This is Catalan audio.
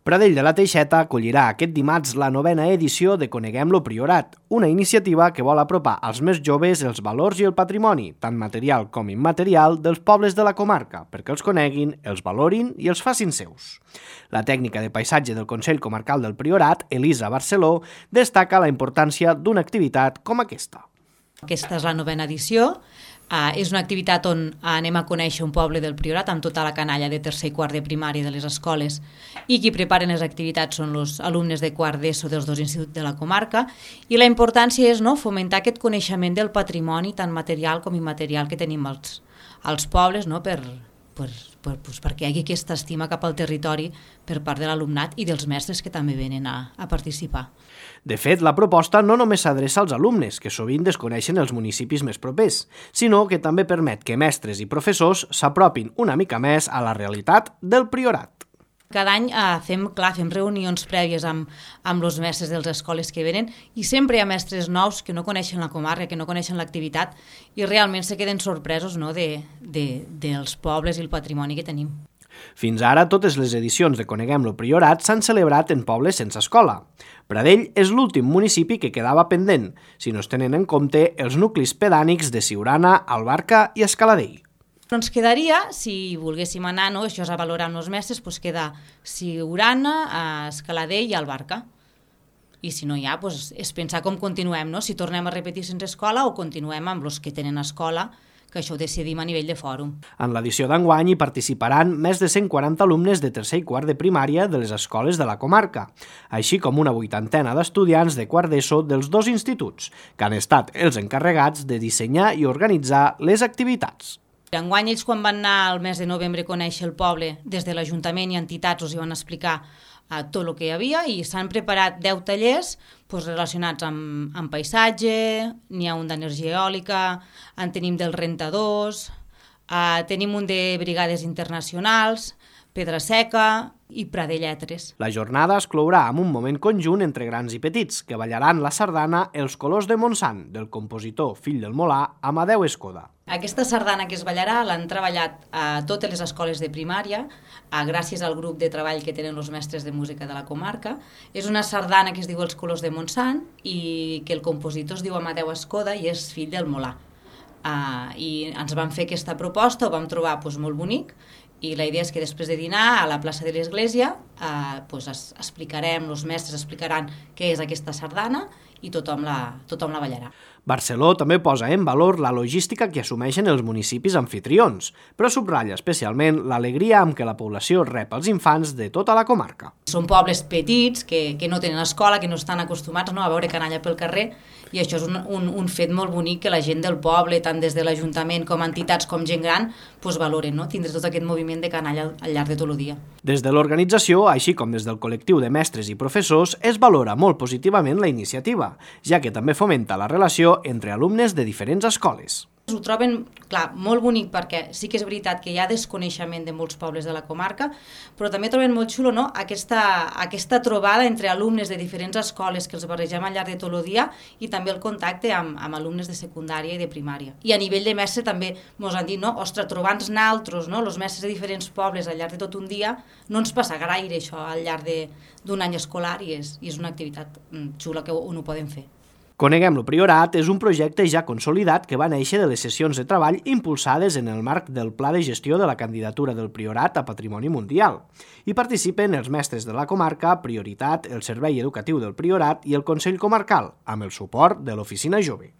Pradell de la Teixeta acollirà aquest dimarts la 9a edició de Coneguem lo Priorat, una iniciativa que vol apropar als més joves els valors i el patrimoni, tant material com immaterial, dels pobles de la comarca, perquè els coneguin, els valorin i els facin seus. La tècnica de paisatge del Consell Comarcal del Priorat, Elisa Barceló, destaca la importància d'una activitat com aquesta. Aquesta és la 9a edició. És una activitat on anem a conèixer un poble del Priorat amb tota la canalla de tercer i quart de primària de les escoles, i qui preparen les activitats són els alumnes de quart d'ESO dels dos instituts de la comarca, i la importància és fomentar aquest coneixement del patrimoni tant material com immaterial que tenim als pobles, perquè hi hagi aquesta estima cap al territori per part de l'alumnat i dels mestres que també venen a participar. De fet, la proposta no només s'adreça als alumnes, que sovint desconeixen els municipis més propers, sinó que també permet que mestres i professors s'apropin una mica més a la realitat del Priorat. Cada any fem reunions prèvies amb els mestres de les escoles que venen, i sempre hi ha mestres nous que no coneixen la comarca, que no coneixen l'activitat, i realment se queden sorpresos dels pobles i el patrimoni que tenim. Fins ara, totes les edicions de Coneguem lo Priorat s'han celebrat en pobles sense escola. Pradell és l'últim municipi que quedava pendent, si no es tenen en compte els nuclis pedànics de Siurana, Albarca i Escaladell. Ens quedaria, si volguéssim anar, això és a valorar amb els mestres, queda Siurana, Escaladell i Albarca. I si no hi ha, és pensar com continuem, si tornem a repetir sense escola o continuem amb els que tenen escola, que això ho decidim a nivell de fòrum. En l'edició d'enguany hi participaran més de 140 alumnes de tercer i quart de primària de les escoles de la comarca, així com una 80ena d'estudiants de quart d'ESO dels dos instituts, que han estat els encarregats de dissenyar i organitzar les activitats. Enguany ells, quan van anar al mes de novembre a conèixer el poble, des de l'Ajuntament i entitats els hi van explicar tot el que hi havia, i s'han preparat 10 tallers relacionats amb paisatge, n'hi ha un d'energia eòlica, en tenim dels rentadors, tenim un de brigades internacionals, pedra seca i pradelletres. La jornada es clourà amb un moment conjunt entre grans i petits, que ballaran la sardana Els colors de Montsant, del compositor fill del Molà, Amadeu Escoda. Aquesta sardana que es ballarà l'han treballat a totes les escoles de primària, gràcies al grup de treball que tenen els mestres de música de la comarca. És una sardana que es diu Els colors de Montsant i que el compositor es diu Amadeu Escoda i és fill del Molà. I ens van fer aquesta proposta, ho vam trobar molt bonic, i la idea és que després de dinar a la plaça de l'església explicarem, els mestres explicaran què és aquesta sardana i tothom la ballarà. Barceló també posa en valor la logística que assumeixen els municipis anfitrions, però subratlla especialment l'alegria amb què la població rep els infants de tota la comarca. Són pobles petits que no tenen escola, que no estan acostumats a veure canalla pel carrer, i això és un fet molt bonic que la gent del poble, tant des de l'Ajuntament com entitats com gent gran, valoren, tindre tot aquest moviment de canalla al llarg de tot el dia. Des de l'organització, així com des del col·lectiu de mestres i professors, es valora molt positivament la iniciativa, ja que també fomenta la relació entre alumnes de diferents escoles. Ho troben, molt bonic, perquè sí que és veritat que hi ha desconeixement de molts pobles de la comarca, però també troben molt xulo aquesta trobada entre alumnes de diferents escoles que els barregem al llarg de tot el dia, i també el contacte amb alumnes de secundària i de primària. I a nivell de mestre també ens han dit, ostres, trobant-nos naltros, els mestres de diferents pobles al llarg de tot un dia, no ens passa gaire això al llarg d'un any escolar, i és una activitat xula que on ho podem fer. Coneguem lo Priorat és un projecte ja consolidat que va néixer de les sessions de treball impulsades en el marc del Pla de Gestió de la Candidatura del Priorat a Patrimoni Mundial. Hi participen els mestres de la comarca, Prioritat, el Servei Educatiu del Priorat i el Consell Comarcal, amb el suport de l'Oficina Jove.